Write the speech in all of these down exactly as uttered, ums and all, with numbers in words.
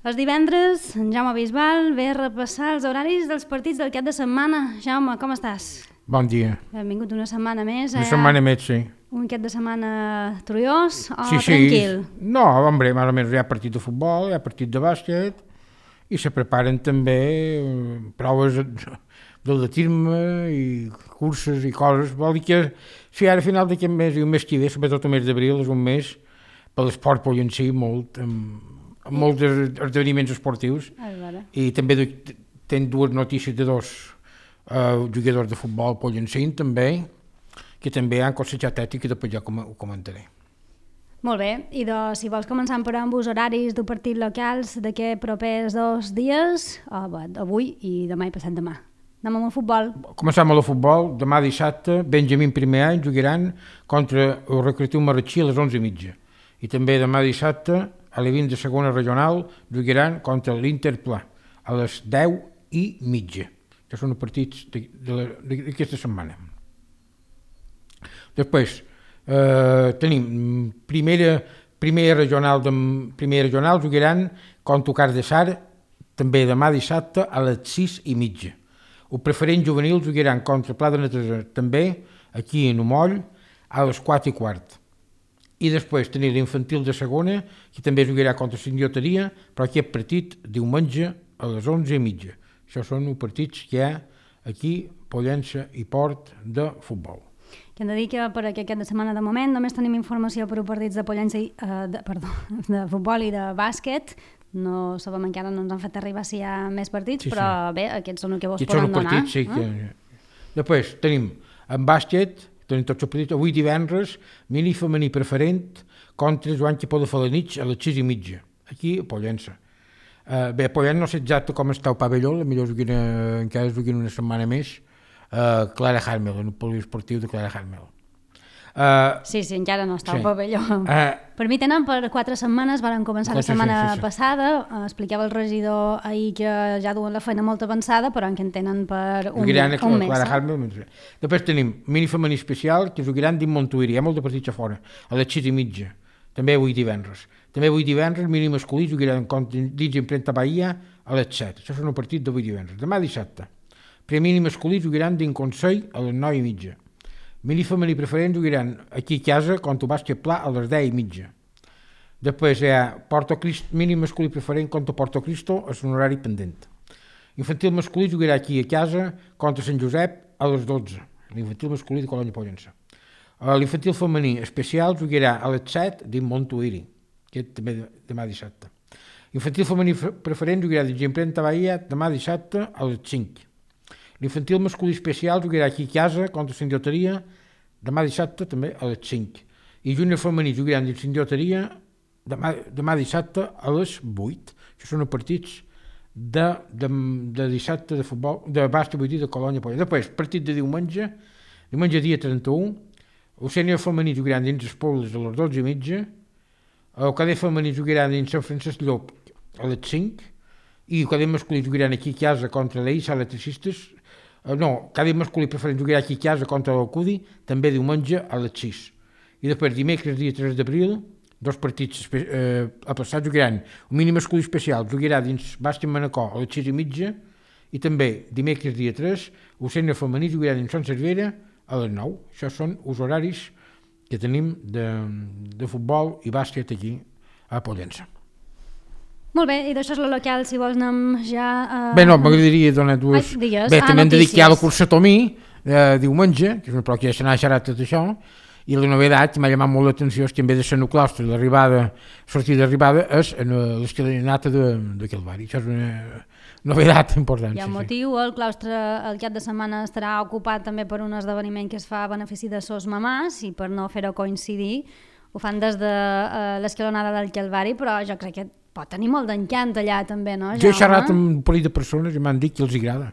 Els divendres, en Jaume Bisbal ve a repassar els horaris dels partits del cap de setmana. Jaume, com estàs? Bon dia. Benvingut una setmana més. Una setmana més, sí. Un cap de setmana trullós o sí, sí. tranquil? No, hombre, més o menys hi ha partit de futbol, hi ha partit de bàsquet i se preparen també proves d'atletisme i curses i coses. Vol dir que si ara a final d'aquest mes i un mes que ve, sobretot el mes d'abril, és un mes per l'esport pollencí molt, amb, amb molts esdeveniments esportius. I també tenen dues notícies de dos uh, jugadors de futbol pollencint també, que també han cossejat ètica i després ja com, ho comentaré. Molt bé, i de, si vols començar per amb els horaris d'un partit locals d'aquests propers dos dies, oh, bé, avui i demà i passat demà. Anem amb el futbol. Començam amb el futbol. Demà dissabte, Benjamín primer any jugaran contra el Recreatiu Marratxí a les onze i mitja. I també demà dissabte, a l'Evin de segona regional, jugaran contra l'Interplà a les deu i mitja. Que són els partits d'aquesta setmana. Després, eh, tenim primera, primera regional, de, primera regional jugaran contra Car de Sar, també demà dissabte a les sis i mitja. El preferent juvenil jugaran contra Pla de Neteja, també aquí a Nomoll, a les quatre i quart. I després tenim l'infantil de segona, que també jugarà contra Sindioteria, però aquest partit diumenge a les onze i mitja. Això són els partits que hi ha aquí, Pollença i Port, de futbol. Que hem de dir que per aquest cap de setmana de moment només tenim informació per a partits de Pollença i, eh, de, perdó, de futbol i de bàsquet. No sabem encara, no ens han fet arribar si hi ha més partits, sí, però sí. Bé, aquests són els que vos aquests poden donar. Partits, sí, eh? que... Després tenim en bàsquet, tenim tots els partits, avui divendres, mini femení preferent contra Joan Quipó de Falanich a les sis i mitja, aquí a Pollença. Uh, bé, a Pollença no sé exacte com està el pavelló, potser juguin, encara es juguin una setmana més, uh, Clara Harmel, en el poliesportiu de Clara Harmel. Uh, sí, sí, encara no està sí. al pavelló. Uh, per mi tenen per quatre setmanes, van començar la setmana sí, sí, sí. passada, uh, explicava el regidor ahir que ja duen la feina molt avançada, però en què en tenen per un, jugaran un mes. Clara Harmel. Després tenim mini femení especial, que jugaran dins Montuïri, hi ha molt de partits a fora, a les sis i mitja, també avui divendres. També avui divendres, mini masculí, jugaran dins Imprenta Bahia a les set. Això són el partit d'avui divendres. Demà dissabte, primer mini masculí jugaran dins Consell a les nou i mitja. Mini femení preferent jugaran aquí a casa contra el bàsquet Pla a les deu i mitja. Després hi ha Porto Cristo, mini masculí preferent contra Porto Cristo a un horari pendent. Infantil masculí jugarà aquí a casa contra Sant Josep a les dotze. L'infantil masculí de Colònia Pollença. L'infantil femení especial jugarà a les set dins Montuïri, que també demà dissabte. L'infantil femení preferent jugarà dins Imprenta Bahia demà dissabte a les cinc. L'infantil masculí especial jugarà aquí a casa contra Sindioteria demà dissabte també a les cinc. I júnior femení jugaran dins Sindioteria demà, demà dissabte a les vuit. Això són els partits de, de, de dissabte de futbol, de bàsquet, vull dir, de Colònia Pollença. Després, partit de diumenge, diumenge dia trenta-u, el sènior femení jugaran dins Espolles a les dotze i mitja, el cadet femení jugaran dins Sant Francesc Llop a les cinc, i el cadet masculí jugaran aquí a casa contra l'Eissa Electricistes. Uh, no, cadet masculí preferent jugarà aquí a casa contra l'Alcudi, també diumenge a les sis. I després, dimecres, dia tres d'abril, dos partits eh, a passar jugaran. Un mini masculí especial jugarà dins Bàsquet Manacor a les sis i mitja, i també, dimecres, dia tres, el sènior femení jugarà dins Sant Cervera a les nou. Això són els horaris que tenim de, de futbol i bàsquet aquí a Pollença. Molt bé, i d'això és el local, si vols anem ja... Uh... Bé, no, m'agradaria donar dues... Ai, digues. Bé, ah, també hem de dir que hi ha la cursa Tomí, eh, diumenge, que és una prova que ja se n'ha xerrat tot això, i la novedat que m'ha llamat molt l'atenció és que en vez de ser en el claustre, l'arribada, sortida d'arribada, és en l'escalinata de, de Calvari. Això és una novedat important. Hi ha un motiu, el claustre el cap de setmana estarà ocupat també per un esdeveniment que es fa a benefici de sos mamàs, i per no fer-ho coincidir, ho fan des de uh, l'escalonada del Calvari, però jo crec que pot tenir molt d'encant allà també, no, Jaume? Jo he xerrat amb un parell de persones i m'han dit que els agrada,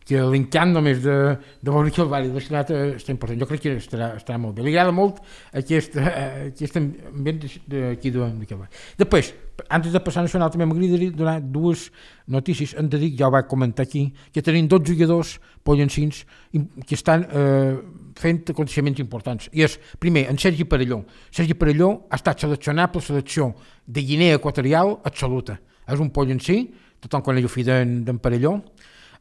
que l'encant només de, de veure que el Vall de l'escalonada està important. Jo crec que estarà, estarà molt bé. Li agrada molt aquest, aquest ambient d'aquí de, de Calvari. Després, antes de passar a nacional, també m'agradaria donar dues notícies. Hem de dir, ja ho vaig comentar aquí, que tenim dos jugadors pollencins que estan eh, fent aconteixements importants. I és, primer, en Sergi Parelló. Sergi Parelló ha estat seleccionat per la selecció de Guinea Equatorial absoluta. és un poll en si, tothom coneix el fill d'en Parelló,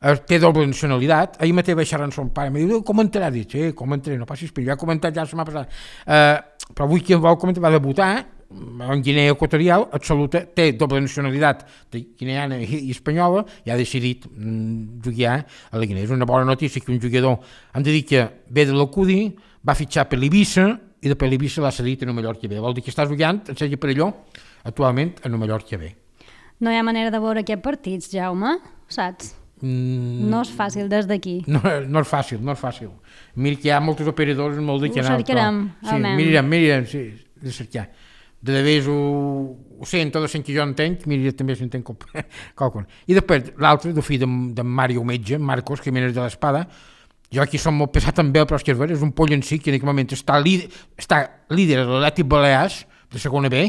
eh, té doble nacionalitat. Ahir mateix vaig xerrar amb son pare, em diu, comentarà, dic, sí, comentaré, no passis per, ja he comentat ja la setmana passada. Eh, però avui qui el vol comentar va debutar en Guinea Equatorial, absoluta, té doble nacionalitat de guineana i, i espanyola, i ha decidit mm, jugar a la Guinea. És una bona notícia que un jugador, hem de dir que ve de l'Alcudí, va fitxar per l'Eivissa, i de per l'Eivissa l'ha cedit a Mallorca B. Vol dir que està jugant, en Sergi Parelló, actualment a Mallorca B. No hi ha manera de veure aquests partits, Jaume, saps? Mm, no és fàcil des d'aquí. No, no és fàcil, no és fàcil. Mira que hi ha molts operadors molt de canal. Ho cercarem, però, sí, mirarem, mirarem, sí, de cercar. De vegades ho, ho sento, de que jo entenc, mira, també s'entenc qualcun. I després l'altre, el fill d'en de Mario Metge, Marcos, que menes de l'Espada, jo aquí som molt pesat amb ell, però és que és vera, és un poll en si que en aquest moment està líder, està líder de l'Atlètic Balears, de segona B,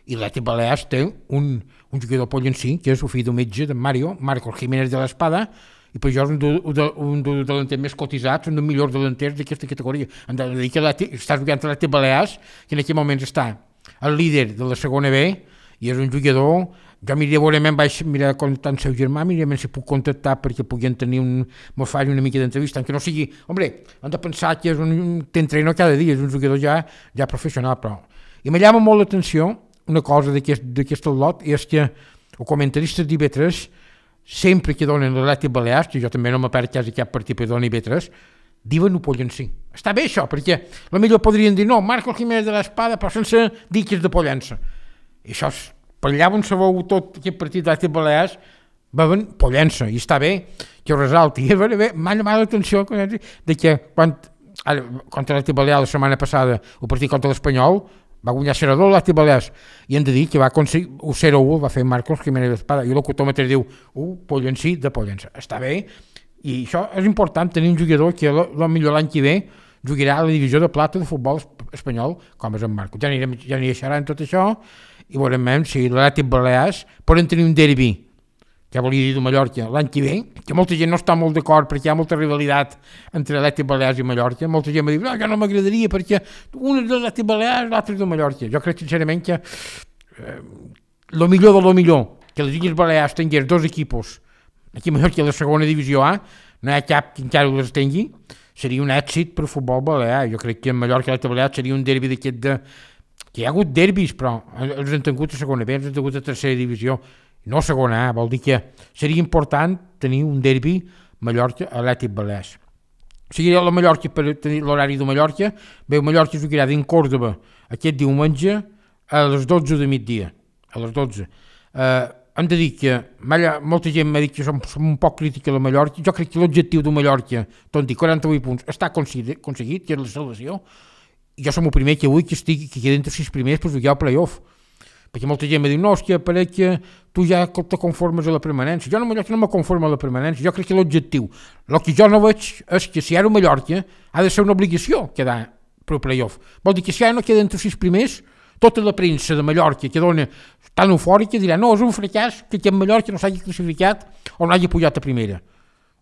i l'Atlètic Balears té un, un jugador poll en si, que és el fill d'un metge, d'en Mario, Marcos Jiménez de l'Espada, i per això és un, de, un dels delanters més cotitzats, un dels millors delanters d'aquesta categoria. Hem de dir que està jugant a l'Atlètic Balears, que en aquest moment està el líder de la segona B, i és un jugador, jo mira, veurement vaig mirar contactar amb el seu germà, mira si puc contactar perquè puguin tenir un, mos faci una mica d'entrevista, que no sigui, hombre, hem de pensar que és un t'entreno cada dia, és un jugador ja, ja professional, però. I me llama molt l'atenció una cosa d'aquest lot, i és que els comentaristes d'I B tres, sempre que donen l'Atlètic Balears, que jo també no me perd quasi cap partit per donar I B tres, diuen ho Pollencí. Està bé això, perquè potser podrien dir no, Marcos Jiménez de l'Espada, però sense dir que és de Pollença. I això, per allà on se veu tot aquest partit d'Atlètic Balears, veuen Pollença, i està bé que ho resalti. I bé, m'ha llamat l'atenció de que quan, ara, contra l'Atlètic Balears la setmana passada, el partit contra l'Espanyol, va guanyar zero a dos l'Atlètic Balears, i hem de dir que va aconseguir el zero a u, va fer Marcos Jiménez de l'Espada, i el locutòmetre diu, uh, Pollencí de Pollença. Està bé, i això és important, tenir un jugador que potser l'any que ve jugarà a la divisió de plata de futbol espanyol, com és en Marcos. Ja anirem, ja anirem xerrant tot això, i veurem si l'Atlètic Balears poden tenir un derbi, que volia dir de Mallorca, l'any que ve, que molta gent no està molt d'acord perquè hi ha molta rivalitat entre l'Atlètic Balears i Mallorca. Molta gent m'ha dit, no, jo no m'agradaria perquè un és de l'Atlètic Balears, l'altre és de Mallorca. Jo crec sincerament que eh, lo millor de lo millor, que les Illes Balears tingués dos equipos, aquí a Mallorca a la segona divisió A, no hi ha cap que encara les tingui, seria un èxit per futbol balear. Jo crec que en Mallorca i l'Atlètic Balears seria un derbi d'aquest de... que hi ha hagut derbis, però els han tingut a segona B, els han tingut a tercera divisió, no segona A, vol dir que seria important tenir un derbi Mallorca-Atlètic Balears. Seguiré a la Mallorca per tenir l'horari de Mallorca, veu Mallorca jugarà dins Còrdoba aquest diumenge a les dotze de migdia, a les dotze. Eh, hem de dir que molta gent m'ha dit que som, som un poc crítica a la Mallorca, jo crec que l'objectiu de Mallorca, tot dir quaranta-vuit punts, està aconseguit, que és la salvació. Jo som el primer que vull que estigui, que quedi entre sis primers per jugar al play-off, perquè molta gent m'ha dit, no, hòstia, pareix que tu ja te conformes a la permanència. Jo no, Mallorca no me conformo a la permanència, jo crec que l'objectiu, el que jo no veig és que si ara Mallorca ha de ser una obligació quedar per play-off. Vol dir que si ara no queda entre sis primers, tota la premsa de Mallorca que dona tan eufòrica dirà, no, és un fracàs que aquest Mallorca no s'hagi classificat o no hagi pujat a primera.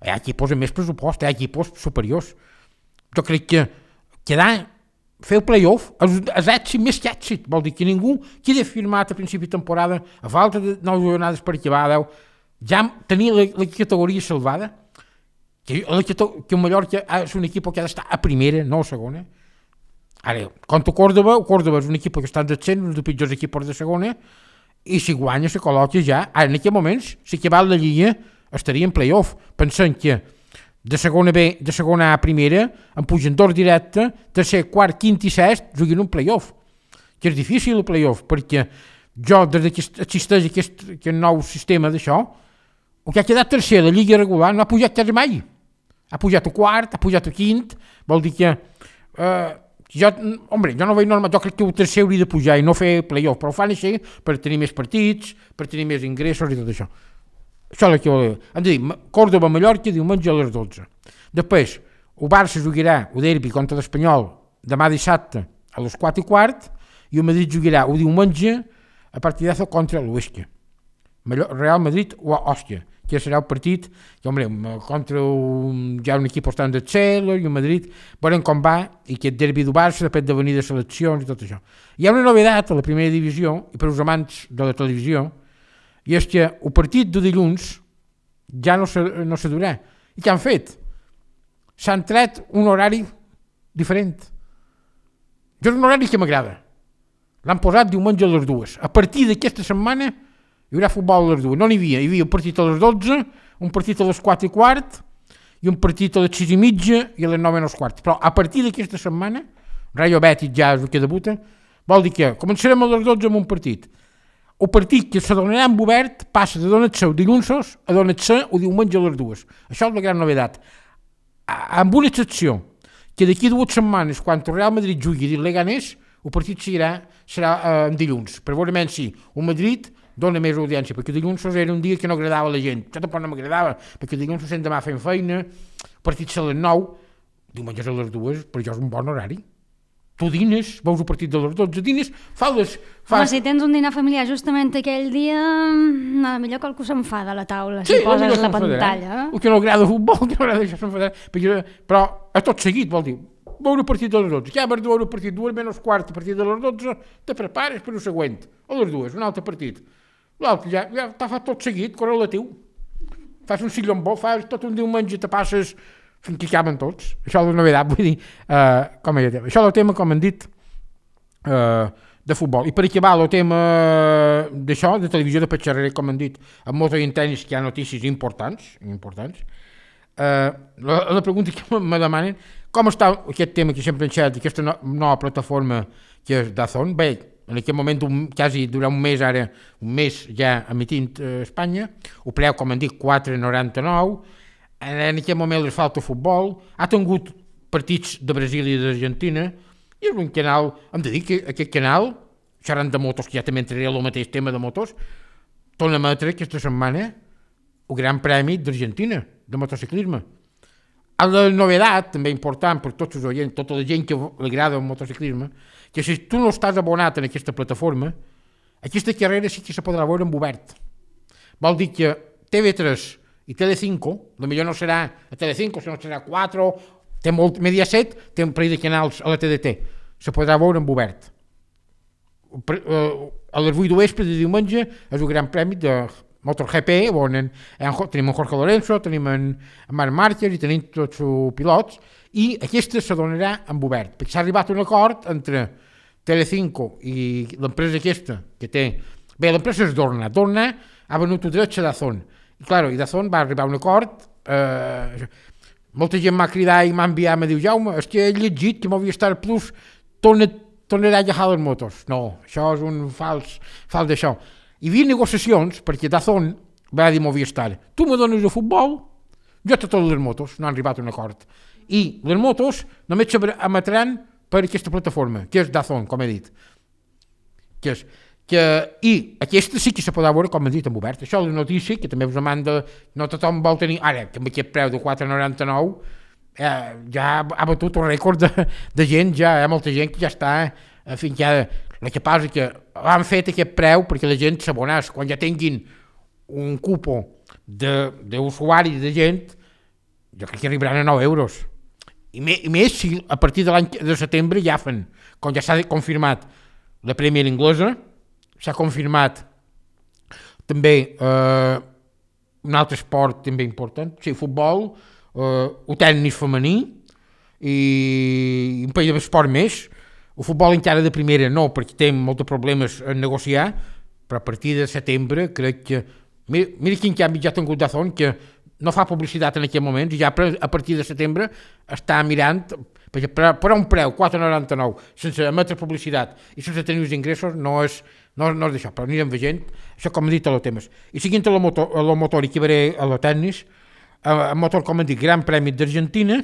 Hi ha equipos amb més pressupost, hi ha equipos superiors. Jo crec que quedar fer el play-off és èxit més que èxit, vol dir que ningú queda firmat a principi de temporada, a falta de nou jornades per acabar, deu, ja tenir la, la categoria salvada, que, la, que el Mallorca és un equip que ha d'estar a primera, no a segona. Ara, contra Còrdoba, el Còrdoba és un equip que està en descens, un dels pitjors equips de segona, i si guanya se col·loca ja, ara en aquests moments, si acabat la lliga, estaria en play-off, pensant que de segona B, de segona A a primera, en pugen dos directe, tercer, quart, quint i sest, juguen un play-off. Que és difícil el play-off, perquè jo, des que existeix aquest, aquest nou sistema d'això, el que ha quedat tercer de la lliga regular no ha pujat quasi mai. Ha pujat a quart, ha pujat a quint, vol dir que... Eh, jo, hombre, jo no veig normal, jo crec que el tercer hauria de pujar i no fer play-off, però ho fan així per tenir més partits, per tenir més ingressos i tot això. Això és el que voleu. Hem de dir, Còrdoba-Mallorca diumenge a les dotze. Després, el Barça jugarà el derbi contra l'Espanyol demà dissabte a les quatre i quart i el Madrid jugarà el diumenge a partidazo contra l'Huesca. Real Madrid o Òstia, que serà el partit que, hombre, contra un, ja un equip estant de Cel i el Madrid, veurem com va i aquest derbi del Barça depèn de venir de seleccions i tot això. Hi ha una novedat a la primera divisió i per als amants de la televisió i és que el partit de dilluns ja no se, no se durà. I què han fet? S'han tret un horari diferent. Jo és un horari que m'agrada. L'han posat diumenge a les dues. A partir d'aquesta setmana hi haurà futbol a les dues. No n'hi havia. Hi havia un partit a les dotze, un partit a les quatre i quart i un partit a les sis i mitja i a les nou menys quart. Però a partir d'aquesta setmana, Rayo Betis ja és el que debuta, vol dir que començarem a les dotze amb un partit. El partit que se donarà en obert passa de donar-se el dilluns a donar-se el diumenge a les dues. Això és la gran novedat. Amb una excepció, que d'aquí dues setmanes, quan el Real Madrid jugui i el Leganés, el partit serà, serà eh, en dilluns, per veure si el Madrid dona més audiència, perquè dilluns era un dia que no agradava a la gent. Jo tampoc no m'agradava, perquè dilluns sent demà fent feina, el partit a les nou, diumenge a les dues, per això és un bon horari. Tu dines, veus el partit de les dotze, dines, fa les... Fa... Home, si tens un dinar familiar justament aquell dia, no, millor que algú s'enfada a la taula, sí, si poses la pantalla. El que no agrada el futbol, que no agrada això s'enfadarà, perquè, però a tot seguit, vol dir, veure el partit de les dotze, ja vas veure el partit dues menys quart, a partir de les dotze, te prepares per el següent, a les dues, un altre partit. L'altre ja, ja t'ha fet tot seguit, correlatiu. Fas un sillon bo, fas tot un diumenge, te passes fins que acaben tots. Això és la novetat, vull dir, uh, com ja tema. Això és el tema, com han dit, uh, de futbol. I per acabar el tema d'això, de televisió de petxarrer, com han dit, amb moto i en tenis, que hi ha notícies importants, importants. Uh, la, la pregunta que me demanen, com està aquest tema que sempre enxerta, aquesta no, nova plataforma que és DAZN? Bé, en aquest moment, un, quasi durant un mes ara, un mes ja emitint a Espanya, el preu, com han dit, quatre coma noranta-nou, en aquest moment els falta futbol, ha tingut partits de Brasil i d'Argentina, i és un canal, hem de dir que aquest canal, xerrant de motos, que ja també entraré al mateix tema de motos, torna a emetre aquesta setmana el Gran Premi d'Argentina, de motociclisme. A la novedat, també important per tots els oients, tota la gent que li agrada el motociclisme, que si tu no estàs abonat en aquesta plataforma, aquesta carrera sí que se podrà veure en obert. Vol dir que T V tres i Telecinco, potser no serà a Telecinco, sinó serà quatre, té molt, Mediaset té un parell de canals a la T D T, se podrà veure en obert. A les vuit de vespre de diumenge és el Gran Premi de MotoGP, on en, en, tenim en Jorge Lorenzo, tenim en, en Marc Márquez i tenim tots els pilots, i aquesta se donarà en obert, perquè s'ha arribat a un acord entre Telecinco i l'empresa aquesta, que té... Bé, l'empresa és Dorna. Dorna ha venut el dret a DAZN. I, clar, i DAZN va arribar a un acord... Eh, molta gent m'ha cridat i m'ha enviat, m'ha dit, Jaume, és que he llegit que Movistar Plus torna, tornarà a llegar les motos. No, això és un fals, fals d'això. Hi havia negociacions, perquè DAZN va dir Movistar, tu me dones el futbol, jo te totes les motos, no han arribat a un acord. I les motos només s'emetran per aquesta plataforma, que és DAZN, com he dit. Que és, que, I aquesta sí que se podrà veure, com he dit, en obert. Això és la notícia, que també us demanda, no tothom vol tenir, ara, que amb aquest preu de quatre coma noranta-nou, eh, ja ha batut un rècord de, de gent, ja hi ha molta gent que ja està, en fi, ja, el que passa que han fet aquest preu perquè la gent s'abonés, quan ja tinguin un cupo d'usuaris de, de gent, jo crec que arribaran a nou euros. I més si a partir de l'any de setembre ja fan, quan ja s'ha confirmat la Premier inglesa, s'ha confirmat també eh, un altre esport també important, sí, futbol, eh, el tennis femení i un parell d'esport més. El futbol encara de primera no, perquè té molts problemes a negociar, però a partir de setembre crec que... Mira, mira quin canvi ja ha tingut DAZN, que no fa publicitat en aquest moment, i ja a partir de setembre està mirant, perquè per, per un preu, quatre coma noranta-nou, sense emetre publicitat i sense tenir els ingressos, no és, no, no és d'això, però anirem veient, això com he dit a los temes. I seguint a lo motor, a lo motor i que veré a lo tennis, el motor, com he dit, Gran Premi d'Argentina,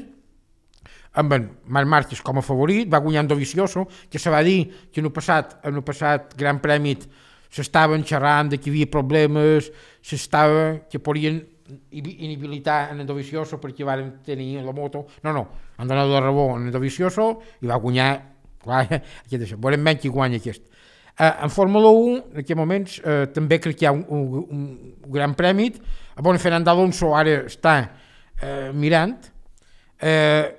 amb en Marc Márquez com a favorit, va guanyar Dovizioso, que se va dir que en el passat, en el passat Gran Premi s'estaven xerrant de que hi havia problemes, s'estava, que podien inhabilitar en Dovizioso perquè van tenir la moto. No, no, han donat la raó en Dovizioso i va guanyar, clar, aquest això. Veurem menys qui guanya aquest. Eh, en Fórmula un, en aquests moments, eh, també crec que hi ha un, un, un gran premi. Bon, Fernando Alonso ara està eh, mirant. Eh,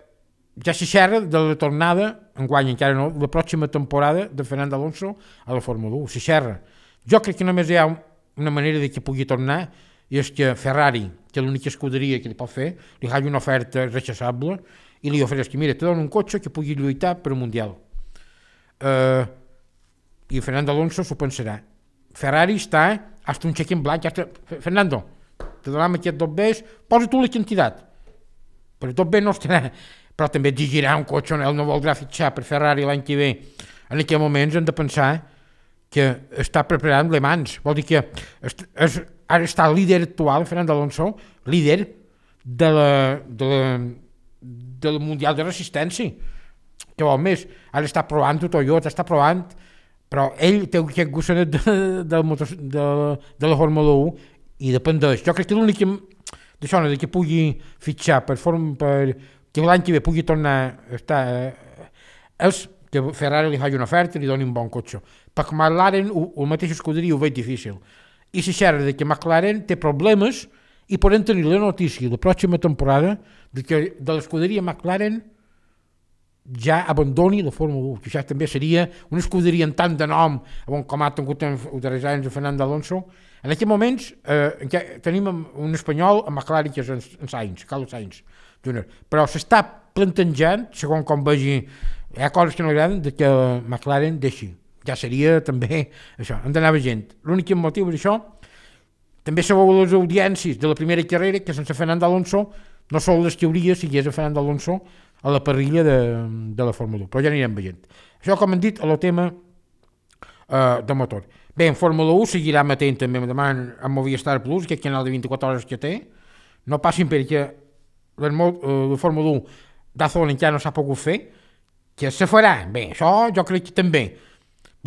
ja se xerra de la tornada, enguany encara no, la pròxima temporada de Fernando Alonso a la Fórmula un. Se xerra. Jo crec que només hi ha un, una manera de que pugui tornar és que Ferrari, que és l'única escuderia que li pot fer, li faci una oferta rechaçable i li ofereix que, mira, te dono un cotxe que pugui lluitar per un Mundial. Uh, I Fernando Alonso s'ho pensarà. Ferrari està hasta un cheque en blanc. Hasta... Fernando, te donem aquest dos bes, posa tu la quantitat. Però dos bes no estarà. Però també exigirà un cotxe on ell no voldrà fitxar per Ferrari l'any que ve. En aquells moments hem de pensar que està preparant Le Mans. Vol dir que és, és, ara està el líder actual, Fernando Alonso, líder de la, de la, del Mundial de Resistència. Que vol més? Ara està provant Toyota, està provant, però ell té aquest gossanet de, de, de, de, de la Fórmula u i dependeix. Jo crec que l'únic d'això, de que pugui fitxar per, form, per que l'any que ve pugui tornar a estar, és que Ferrari li faci una oferta i li doni un bon cotxe. Perquè McLaren, el mateix escuderia, ho veig difícil. I si xerra de que McLaren té problemes i podem tenir la notícia la pròxima temporada de que de l'escuderia McLaren ja abandoni la Fórmula u, que això també seria una escuderia en tant de nom, com ha tingut els darrers anys de Fernando Alonso. En aquests moments eh, tenim un espanyol a McLaren que és en, en Sainz, Carlos Sainz Júnior, però s'està plantejant, segons com vegi, hi ha coses que no agraden, de que McLaren deixi. Ja seria també això, han d'anar gent. L'únic motiu és això. També sabeu les audiències de la primera carrera, que sense Fernando Alonso no són les que hauria si hi hagués a Fernando Alonso a la parrilla de, de la Fórmula u, però ja anirem veient. Això, com hem dit, a el tema uh, de motor. Bé, en Fórmula u seguirà matent també demà en Movistar Plus, aquest canal de vint-i-quatre hores que té. No passin perquè la, uh, la Fórmula u d'Azón encara no s'ha pogut fer, que se farà. Bé, això jo crec que també.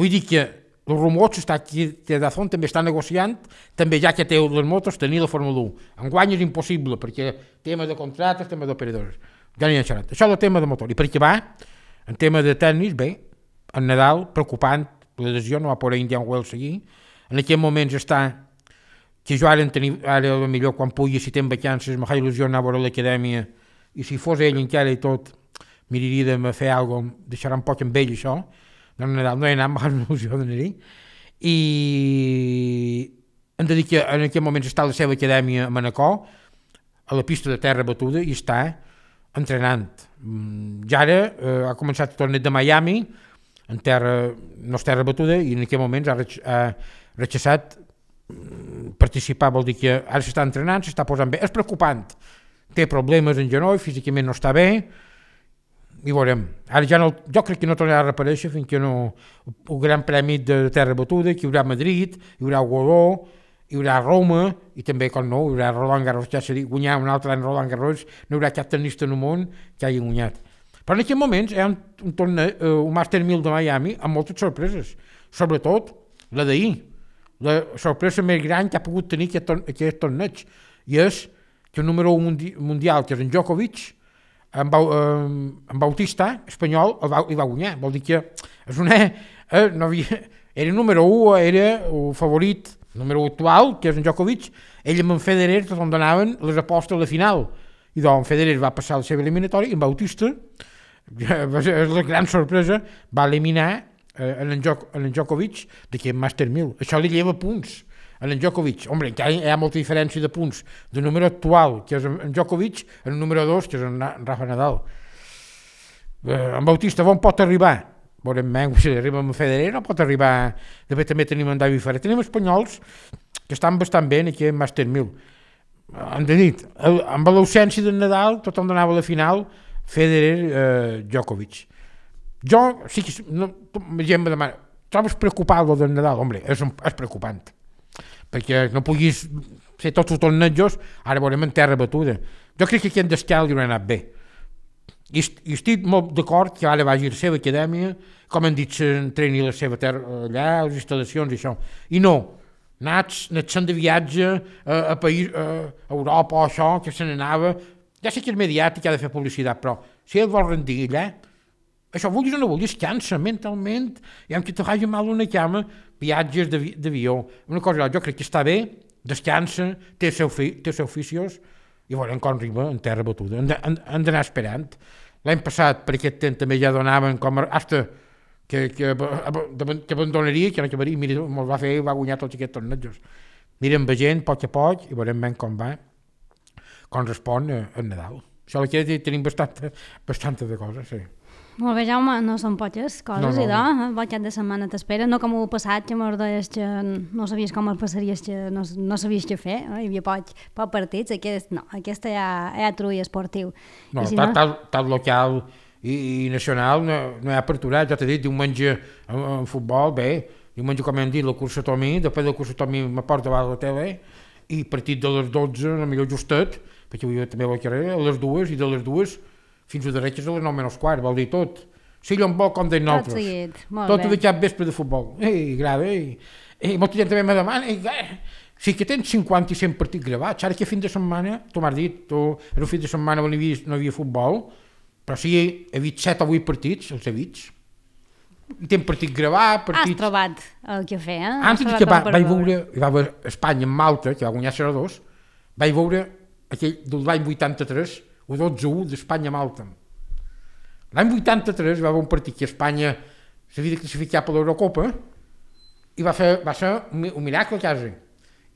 Vull dir que els rumors està aquí, que Dazón també està negociant, també ja que té les motos, tenir la Fórmula u. Enguany és impossible, perquè tema de contractes, tema d'operadors. Ja n'hi ha xerrat. Això és el tema de motor. I per què va? En tema de tennis, bé, en Nadal, preocupant, la decisió no va poder Indian Wells seguir. En aquests moments està que jo ara, tenir, ara millor quan pugui, si tenc vacances, m'ha il·lusió anar a veure l'acadèmia, i si fos ell encara i tot, miraria de fer alguna cosa, deixarà un poc amb ell això. No, Nadal no he anat, m'ha il·lusió d'anar-hi. I hem de dir que en aquest moment està a la seva acadèmia a Manacor, a la pista de terra batuda, i està entrenant. Ja ara eh, ha començat el torneig de Miami, en terra, no és terra batuda, i en aquest moment ha, rech, ha rechaçat participar, vol dir que ara s'està entrenant, s'està posant bé. És preocupant, té problemes en genoll, físicament no està bé, i veurem. Ara ja no, jo crec que no tornarà a reaparèixer fins que no, el Gran Premi de terra batuda, que hi haurà a Madrid, hi haurà a Godó, hi haurà a Roma, i també, com no, hi haurà Roland Garros, ja s'ha dit, guanyar un altre any Roland Garros, no hi haurà cap tenista en el món que hagi guanyat. Però en aquests moments hi ha un, un, torneig, uh, un Master mil de Miami amb moltes sorpreses, sobretot la d'ahir. La sorpresa més gran que ha pogut tenir aquest, torne, aquest torneig, i és que el número un mundi, mundial, que és en Djokovic, en, Bau, eh, en Bautista, espanyol, el va, el va guanyar. Vol dir que és una, eh, no havia, era el número un, era el favorit, el número un actual, que és en Djokovic, ell amb en Federer on donaven les apostes a la final. I doncs en Federer va passar la seva eliminatòria i en Bautista, és la gran sorpresa, va eliminar eh, en, en, Djok, en en Djokovic d'aquest Master mil. Això li lleva punts en en Djokovic. Hombre, encara hi ha molta diferència de punts del número actual, que és en Djokovic, en el número dos, que és en Rafa Nadal. Eh, en Bautista, on pot arribar? Veurem menys, si arriba amb Federer, no pot arribar. De fet, també tenim en David Ferrer. Tenim espanyols que estan bastant bé en aquest Master mil. Hem de dir, amb l'ausència del Nadal, tothom donava a la final Federer, eh, Djokovic. Jo, sí que, no, gent me demana, trobes preocupant el del Nadal? Hombre, és, un, és preocupant, perquè no puguis fer tots els tornejos, ara veurem en terra batuda. Jo crec que aquest d'escal li haurà anat bé. I, i estic molt d'acord que ara vagi a la seva acadèmia, com han dit, s'entreni la seva terra allà, les instal·lacions i això. I no, anats, anats de viatge a, a, país, a Europa o això, que se n'anava. Ja sé que és mediàtic, ha de fer publicitat, però si ell vol rendir allà, això vulguis o no vulguis, cansa mentalment, i amb que te faci mal una cama, viatges d'avió. Una cosa, jo crec que està bé, descansa, té els seus té seu oficios, i veurem com arriba en terra batuda. Han d'anar esperant. L'any passat, per aquest temps, també ja donaven com hasta que, que, que abandonaria, que no acabaria, mira, me'l va fer i va guanyar tots aquests tornejos. Mirem veient, a poc a poc, i veurem ben com va, com respon el Nadal. Això aquí tenim bastanta, bastanta de coses, sí. Molt bé, Jaume, no són poques coses, No, no, idò, no. Bon cap de setmana t'espera, no com ho passat, que mos deies que no sabies com el passaries, que no, no sabies què fer, no? Hi havia poc, poc partits, aquest no, aquesta ja, ja trull esportiu. No, si tal, no... tal, tal local i, i nacional no, no hi ha aperturat, ja t'he dit, diumenge en, en futbol, bé, diumenge com hem dit, la cursa Tomí, després de la cursa Tomí me porta davant la tele, i partit de les dotze, no millor justet, perquè avui també a la carrera, a les dues, i de les dues fins a dretes a les nou menys quart, vol dir tot. Sí, on vol, com deien nosaltres. Tot seguit, molt tot bé. de cap vespre de futbol. Ei, grava, ei. Ei, molta gent també me demana, ei, eh, sí que tens cinquanta i cent partits gravats, ara que fin de setmana, tu m'has dit, tu, era un fin de setmana on hi havia, no hi havia futbol, però sí, he vist set o vuit partits, els he vist. I tens partit gravat, partits... Has trobat el que fer, eh? Antes que va, vaig veure, hi va veure Espanya amb Malta, que va guanyar zero a dos, vaig veure aquell de l'any vuitanta-tres, o dotze a u d'Espanya a Malta. L'any vuitanta-tres va haver un partit que Espanya s'havia de classificar per l'Eurocopa i va, fer, va ser un, un miracle quasi.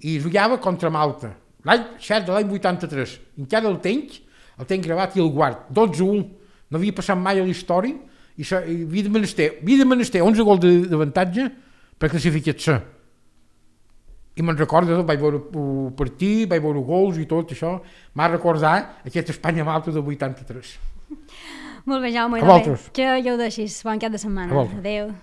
I jugava contra Malta. L'any, cert, de l'any vuitanta-tres. Encara el tenc, el tenc gravat i el guard. dotze a u. No havia passat mai a la història i, se, i havia de menester, havia de menester onze gols d'avantatge per classificar-se. I me'n recordo, vaig veure el partit, vaig veure gols i tot això, m'ha recordat aquest Espanya-Malta del vuitanta-tres. Molt bé, Jaume, a vosaltres. Que ja ho deixis. Bon cap de setmana. Adéu.